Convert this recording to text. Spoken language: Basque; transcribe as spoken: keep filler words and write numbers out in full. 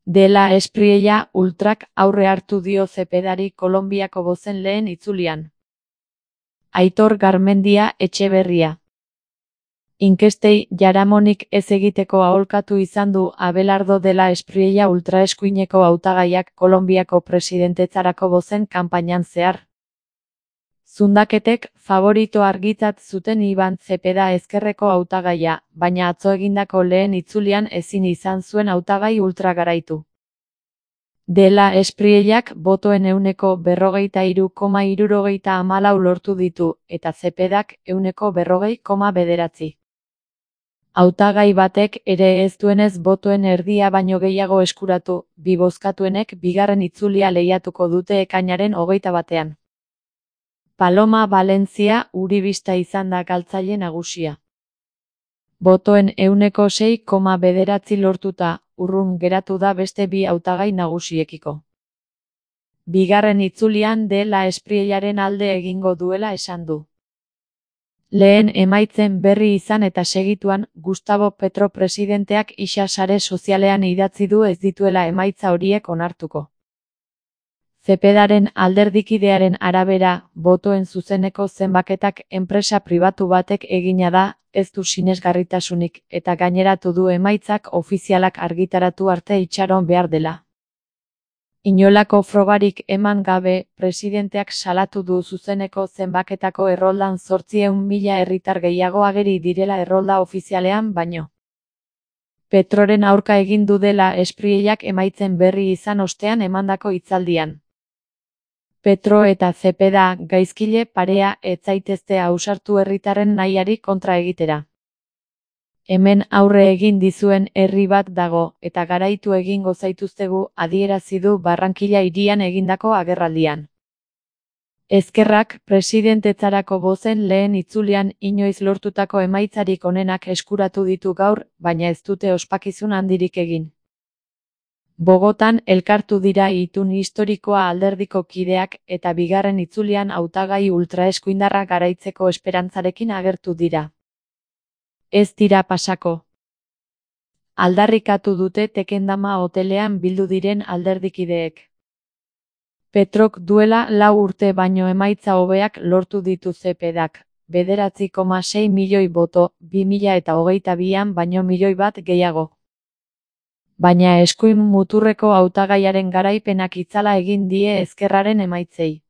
De la Espriella Ultrak aurre hartu dio Zepedari Kolonbiako bozen lehen itzulian. Aitor Garmendia Etxeberria. Inkestei jaramonik ez egiteko aholkatu izan du Abelardo de la Espriella ultraeskuineko hautagaiak Kolonbiako presidentetzarako bozen kanpainan zehar. Zundaketek favorito argitzat zuten Iban Zepeda ezkerreko hautagaia, baina atzo egindako lehen itzulian ezin izan zuen hautagai ultra garaitu. De la Espriellak botoen ehuneko berrogeita hiru koma hirurogeita hamalau lortu ditu, eta Zepedak ehuneko berrogei koma bederatzi. Hautagai batek ere ez duenez botoen erdia baino gehiago eskuratu, bi bozkatuenek bigarren itzulia lehiatuko dute ekainaren hogeita batean. Paloma Valentzia Uribista izan da galtzaile nagusia. Botoen ehuneko sei koma bederatzi lortuta, urrun geratu da beste bi hautagai nagusiekiko. Bigarren itzulian De la Espriellaren alde egingo duela esan du. Lehen emaitzen berri izan eta segituan, Gustavo Petro presidenteak isa sare sozialean idatzi du ez dituela emaitza horiek onartuko. Zepedaren alderdikidearen arabera, botoen zuzeneko zenbaketak enpresa pribatu batek egina da, ez du sinesgarritasunik, eta gaineratu du emaitzak ofizialak argitaratu arte itxaron behar dela. Inolako frogarik eman gabe, presidenteak salatu du zuzeneko zenbaketako erroldan zortziehun mila herritar gehiago ageri direla errolda ofizialean baino. Petroren aurka egin du dela Espriellak emaitzen berri izan ostean emandako hitzaldian. Petro eta Zepeda gaizkile parea ez zaitezte ausartu herritarren nahiari kontra egitera. Hemen aurre egin dizuen herri bat dago, eta garaitu egingo zaituztegu adierazi du Barrankilla hirian egindako agerraldian. Ezkerrak presidentetzarako bozen lehen itzulian inoiz lortutako emaitzarik onenak eskuratu ditu gaur, baina ez dute ospakizun handirik egin. Bogotan elkartu dira itun historikoa alderdiko kideak eta bigarren itzulian hautagai ultraeskuindarra garaitzeko esperantzarekin agertu dira. Ez dira pasako. Aldarrikatu dute Tekendama hotelean bildu diren alderdikideek. Petrok duela lau urte baino emaitza hobeak lortu ditu Zepedak, bederatzi koma sei milioi boto, bi mila eta hogeita bian baino milioi bat gehiago. Baina eskuin muturreko hautagaiaren garaipenak itzala egin die ezkerraren emaitzei.